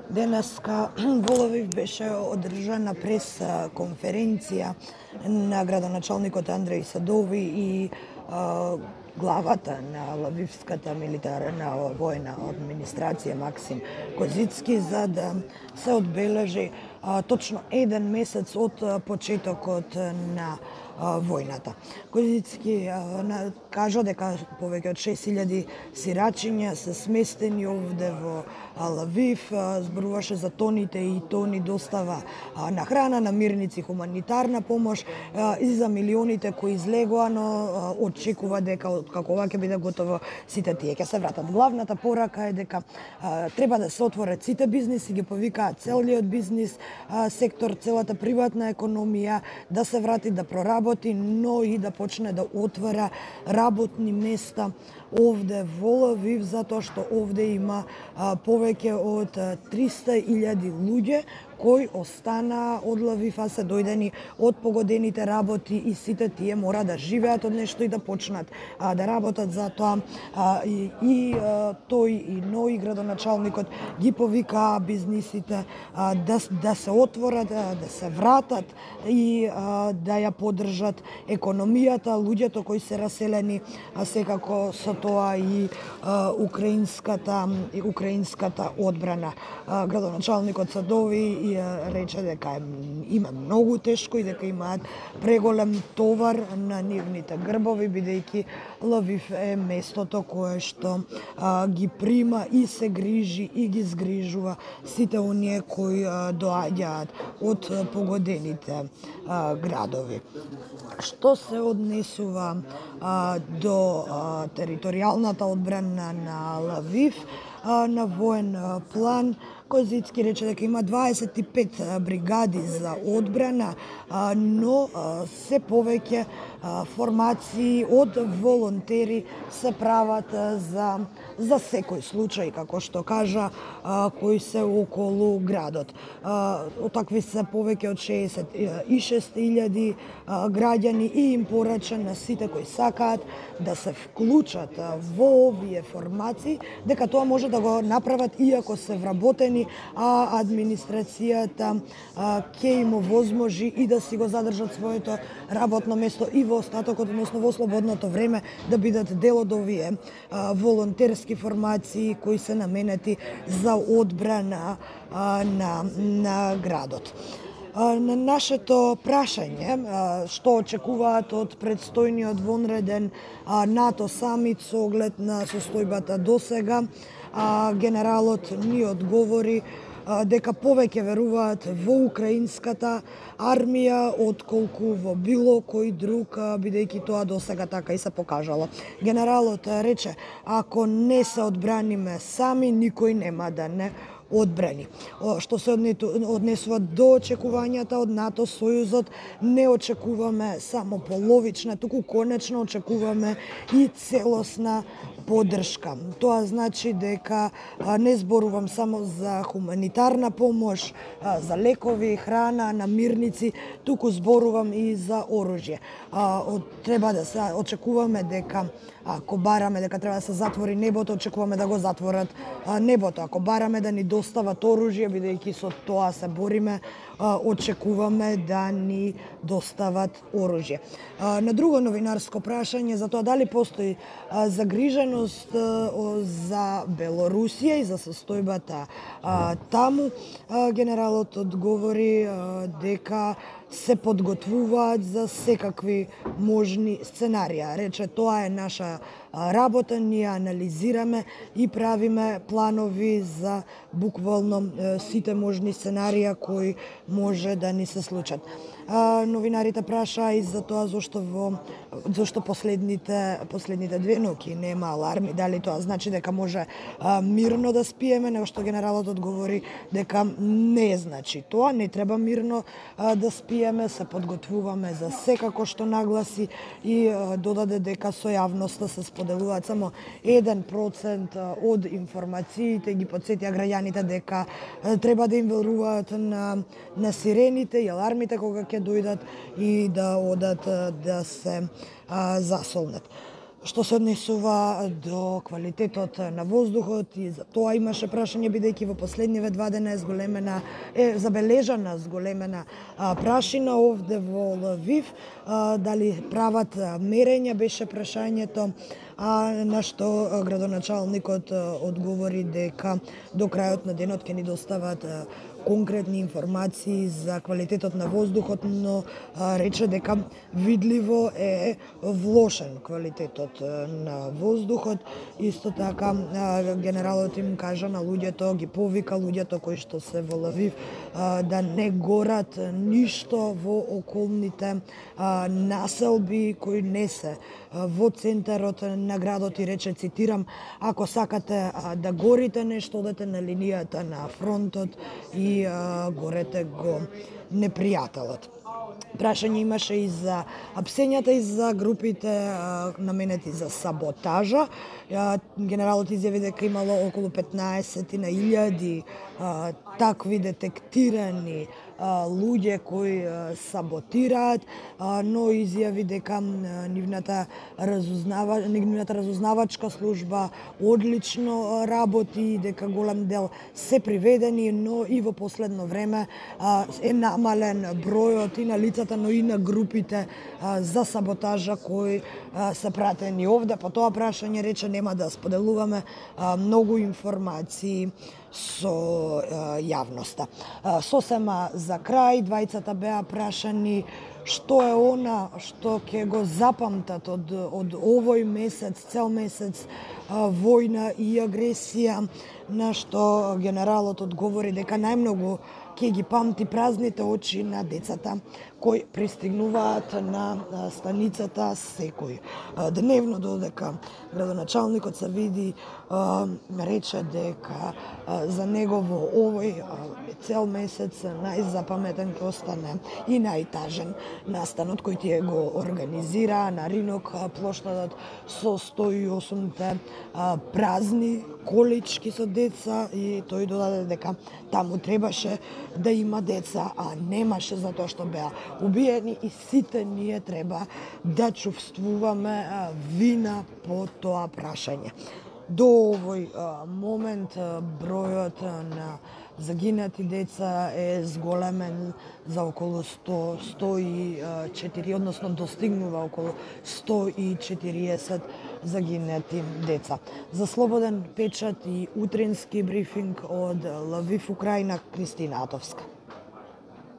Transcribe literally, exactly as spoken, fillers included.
Денеска во Лвив беше одржана прес конференција на градоначалникот Андреј Садови и а, главата на Лвивската милитарна војна администрација Максим Козицки, за да се одбележи а, точно еден месец од почетокот на а, војната. Козицки а, кажа дека повеќе од шест илјади сирачиња се сместени овде во Лвив, зборуваше за тоните и тони достава на храна, намирници, хуманитарна помош и за милионите кои излегоа, но очекува дека како ова ќе биде готово сите тие ќе се вратат. Главната порака е дека треба да се отворат сите бизниси, ги повикаат целиот бизнис сектор, целата приватна економија да се врати, да проработи, но и да почне да отвара работни места овде во Лвив, затоа што овде има а, повеќе од триста илјади луѓе кои остана од Лвив, а се дојдени од погодените работи и сите тие мора да живеат од нешто и да почнат а, да работат. Затоа а, и, и а, тој и ној градоначалникот ги повикаа бизнисите а, да, да се отворат, да, да се вратат и а, да ја поддржат економијата, луѓето кои се раселени, а секако со тоа и а, украинската и украинската одбрана. А, градоначалникот Садови и рече дека има многу тешко и дека имаат преголем товар на нивните грбови, бидејќи Лвив е местото кое што а, ги прима и се грижи и ги згрижува сите оние кои а, доаѓаат од погодените а, градови. Што се однесува а, до а, територијалната одбрана на Лвив, а, на воен а, план, Козицки рече дека има дваесет и пет бригади за одбрана, но се повеќе формации од волонтери се прават за за секој случај, како што кажа, кои се околу градот. Такви се повеќе од шеесет и шест илјади граѓани и им порача на сите кои сакаат да се вклучат во овие формации, дека тоа може да го направат иако се вработени, а администрацијата ќе им овозможи и да си го задржат своето работно место и во остатокот, односно во слободното време, да бидат дел од овие а, волонтерски формации кои се наменети за одбрана а, на, на градот. На нашето прашање, што очекуваат од предстојниот вонреден НАТО самит со оглед на состојбата досега, генералот ни одговори дека повеќе веруваат во украинската армија отколку во било кој друг, бидејќи тоа досега така и се покажало. Генералот рече, ако не се одбраниме сами, никој нема да не одбрани. Што се однесува до очекувањата од НАТО сојузот, не очекуваме само половична, туку конечно очекуваме и целосна поддршка. Тоа значи дека не зборувам само за хуманитарна помош, за лекови, храна, намирници, туку зборувам и за оружје. Треба да се очекуваме дека ако бараме дека треба да се затвори небото, очекуваме да го затворат небото. Ако бараме да ни достават оружје, бидејќи со тоа се бориме, очекуваме да ни достават оружје. На друго новинарско прашање за тоа дали постои загриженост за Белорусија и за состојбата таму, генералот одговори дека се подготвуваат за секакви можни сценарија. Рече, тоа е наша работа, ние анализираме и правиме планови за буквално сите можни сценарија кои може да ни се случат. Новинарите прашаа и за тоа зошто во зошто последните последните две ноќи нема аларми, дали тоа значи дека може а, мирно да спиеме, него што генералот одговори дека не значи тоа, не треба мирно а, да спиеме, се подготвуваме за секако што нагласи и а, додаде дека со јавноста се споделуваат само еден процент од информациите, ги потсетија граѓаните дека а, треба да им веруваат на на сирените и алармите кога ќе дојдат и да одат да се а, засолнат. што се однесува до квалитетот на воздухот, и за тоа имаше прашање, бидејќи во последниве два дена е зголемена е забележана зголемена а, прашина овде во Лвив, а, дали прават мерења беше прашањето, а на што градоначалникот одговори дека до крајот на денот ќе ни достават конкретни информации за квалитетот на воздухот, но а, рече дека видливо е влошен квалитетот на воздухот. Исто така а, генералот им кажа на луѓето, ги повика луѓето кои што се во Лвив а, да не горат ништо во околните а, населби кои не се а, во центарот на градот, и рече, цитирам: ако сакате а, да горите нешто, одете на линијата на фронтот и а, горете го непријателот. Прашање имаше и за апсењата и за групите а, наменети за саботажа. А, генералот изјави дека имало околу петнаесет на илјади а, такви детектирани а, луѓе кои а, саботираат, а, но изјави дека а, нивната разузнава нивната разузнавачка служба одлично работи, дека голем дел се приведени, но и во последно време а, е намален бројот и на лицата, но и на групите а, за саботажа кои а, се пратени овде. По тоа прашање рече нема да споделуваме а, многу информации со а, јавноста. А, сосема за крај, двајцата беа прашани што е она што ќе го запамтат од, од овој месец, цел месец а, војна и агресија, на што генералот одговори дека најмногу ќе ги памти празните очи на децата кои пристигнуваат на станицата секој дневно, додека градоначалникот се види, рече дека за него во овој цел месец најзапаметен ќе остане и најтажен настанот кој тие го организира на Ринок плоштадот со сто и осумте празни колички со деца, и тој додаде дека таму требаше да има деца, а немаше, затоа што беа убиени, и сите ние треба да чувствуваме вина по тоа прашање. До овој момент бројот на загинати деца е зголемен за околу сто, сто и четири, односно достигнува околу сто и четириесет загинати деца. За Слободен печат и утрински брифинг од Лвив, Украина, Кристина Атовска.